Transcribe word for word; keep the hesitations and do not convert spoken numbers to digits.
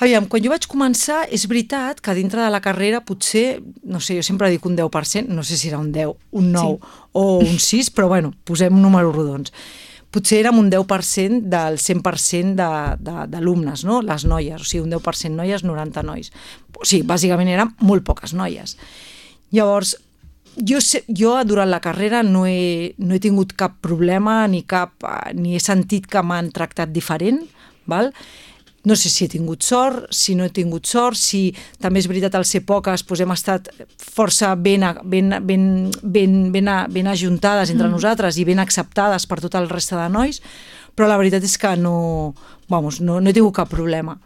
Aviam, quan jo vaig començar, és veritat que dintre de la carrera potser, no sé, jo sempre dic un deu per cent, no sé si era un deu, un nou sí. o un sis, però bueno, posem números rodons. Potser érem un deu per cent del cent per cent d'alumnes, no? Les noies, o sigui, un deu per cent noies, noranta nois. O sigui, bàsicament eren molt poques noies. Llavors, jo, sé, jo durant la carrera no he, no he tingut cap problema ni, cap, ni he sentit que m'han tractat diferent, val? No sé si he tingut sort, si no he tingut sort, si també és veritat al ser poques doncs hem estat força ben, ben, ben, ben, ben, ben ajuntades entre mm. nosaltres i ben acceptades per tot el reste de nois, però la veritat és que no, vamos, no, no he tingut cap problema.